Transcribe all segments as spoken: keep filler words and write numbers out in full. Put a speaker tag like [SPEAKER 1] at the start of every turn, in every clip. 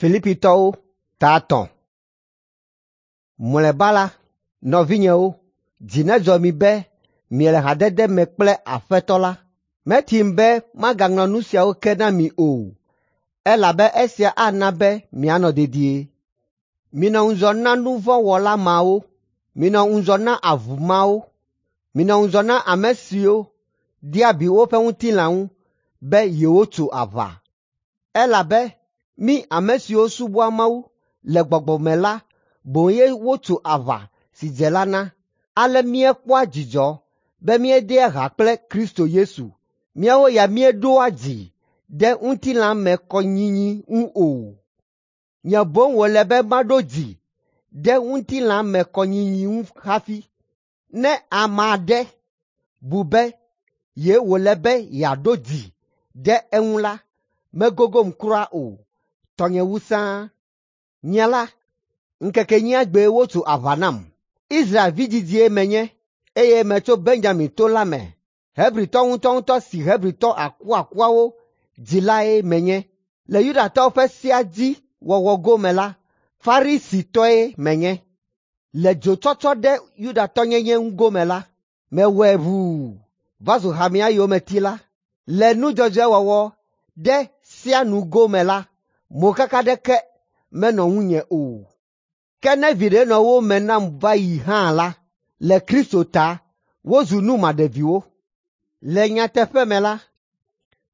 [SPEAKER 1] Filipitɔwo ta etɔ̃. Mlɔeba la, nɔvinyewo, dzi nedzɔ mi be miele hadede me kple Aƒetɔ la. Metim be magaŋlɔ nu siawo ke na mi o, elabe esia ana be mianɔ dedie. Minɔ ŋudzɔ na nu vɔ̃ wɔla mawo, minɔ ŋudzɔ na avu mawo, minɔ ŋudzɔ na ame siwo dea abi woƒe ŋutilã ŋu be yewotso aʋa. Elabe mí ame siwo subɔa Mawu le gbɔgbɔ me la boŋ ye wotso aʋa si dze la na. Ale míekpɔa dzidzɔ be míedea ha kple Kristo Yesu. Míawo ya míeɖoa dzi ɖe ŋutilãmekɔnyinyi ŋu o. Nye boŋ wòle be maɖo dzi ɖe ŋutilãmekɔnyinyi ŋu hafi. Ne ame aɖe bu be ye wòle be yeaɖo dzi ɖe eŋu la, megogom kura o, tɔnye wu sãa. Nye la, ŋkeke enyia gbee wotso aʋa nam. Israel vidzidzie menye, eye metso Benyamin to la me. Hebritɔ ŋutɔŋutɔ si Hebritɔ akuakuawo dzi lae menye. Le Yudatɔwo ƒe sea dzi wɔwɔ gome la, Farisitɔe menye. Le dzotsɔtsɔ ɖe Yudatɔnyenye ŋu gome la, mewɔe ʋuu va zu hamea yometila. Le nu dzɔdzɔe wɔwɔ ɖe sea nu gome la, mokaka aɖeke menɔ ŋunye o. Ke ne viɖe nɔ wo me nam va yi hã la, le Kristo ta wozu nu maɖeviwo. Le nyateƒe me la,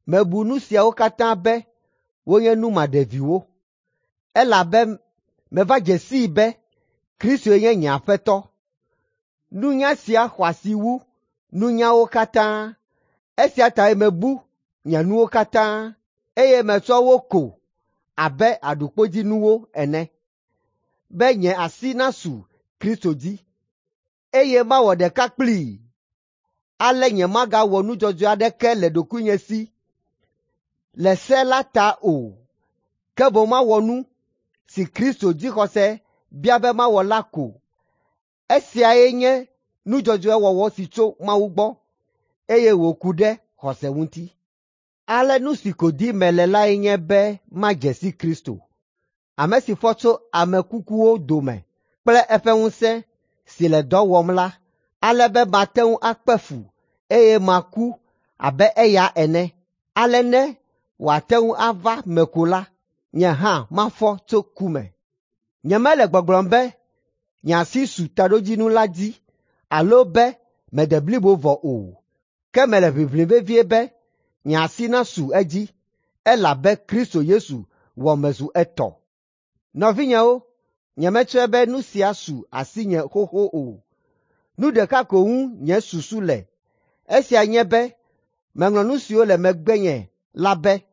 [SPEAKER 1] mebu nu siawo katã be wonye nu maɖeviwo, elabe meva dze sii be Kristoe nye nye Aƒetɔ. Nunya sia xɔ asi wu nunyawo katã. Esia tae mebu nye nuwo katã, eye metsɔ wo ko abe aɖukpodzinuwo ene, be nye asi nasu Kristo dzi, eye mawɔ ɖeka kplii. Ale nyemagawɔ nu dzɔdzɔe aɖeke le ɖokuinye si le se la ta o, ke boŋ mawɔ nu si Kristo dzixɔse bia be mawɔ la ko. Esiae nye nu dzɔdzɔe wɔwɔ si tso Mawu gbɔ, eye wòku ɖe xɔse ŋuti. Ale nu si ko dim mele lae nye be madze si Kristo, ame si fɔ tso ame kukuwo dome kple eƒe ŋusẽ si le dɔ wɔm la, ale be mate ŋu akpe fu eye maku abe eya ene. Ale ne wòate ŋu ava me ko la, nye hã mafɔ tso ku me. Nyemele gbɔgblɔm be nye asi su taɖodzinu la dzi alo be mede blibo vɔ o, ke mele ʋiʋlim vevie be nye asi nasu edzi, elabe Kristo Yesu wɔ mezu etɔ. Nɔvinyewo, nyemetsɔe be nu sia su asinye xoxo o. Nu ɖeka ko ŋu nye susu le, esia nye be meŋlɔ nu siwo le megbenye la be,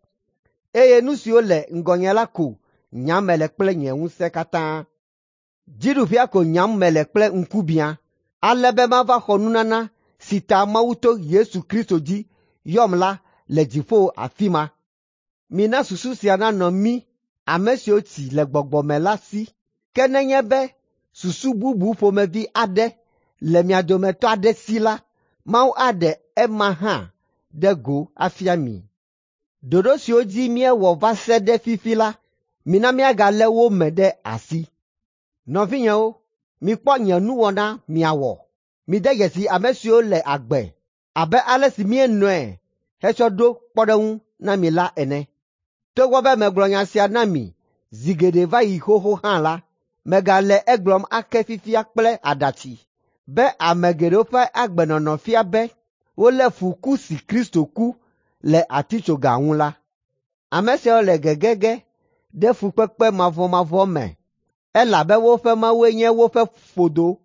[SPEAKER 1] eye nu siwo le ŋgɔnye la ko nyam mele kple nye ŋusẽ katã. Dziɖuƒea ko nyam mele kple ŋkubiã, ale be mava xɔ nunana si ta Mawu to Yesu Kristo dzi yɔm la le dziƒo afi ma. Mina susu sia nanɔ mí ame siwo tsi le gbɔgbɔ me la si. Ke nenye be susu bubu ƒomevi aɖe le mia dometɔ aɖe si la, Mawu aɖe ema hã ɖe go afia mi. Ɖoɖo siwo dzi míewɔ va se ɖe fifi la, mina míagalé wo me ɖe asi. Nɔvinyewo, mikpɔ nye nuwɔna miawɔ. Mide dzesi ame siwo le agbe abe ale si míenɔe hetsɔ ɖo kpɔɖeŋu na mi la ene. Togbɔ be megblɔ nya sia na mi zi geɖe va yi xoxo hã la, megale egblɔm ake fifia kple aɖatsi be ame geɖewo ƒe agbenɔnɔ fia be wolé fu ku si Kristo ku le atitsoga ŋu la. Ame siawo le gegege ɖe fukpekpe mavɔmavɔ me, elabe woƒe Mawue nye woƒe ƒodo.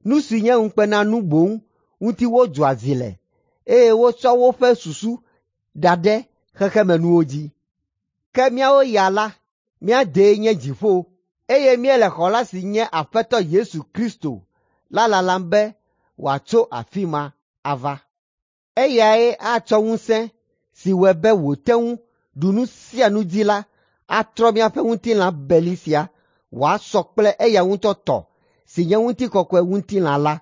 [SPEAKER 1] Nu si nye ŋukpenanu boŋ ŋuti wodzɔa dzi le, eye wotsɔ woƒe susu da ɖe xexemenuwo dzi. Ke míawo ya la, mía dee nye dziƒo, eye míele xɔla si nye Aƒetɔ Yesu Kristo la lalam be wòatso afi ma ava. Eyae atsɔ ŋusẽ si wɔe be wòte ŋu ɖu nu sia nu dzi la atrɔ míaƒe ŋutilã beli sia wòasɔ kple eya ŋutɔ tɔ si nye ŋutikɔkɔe ŋutilã la.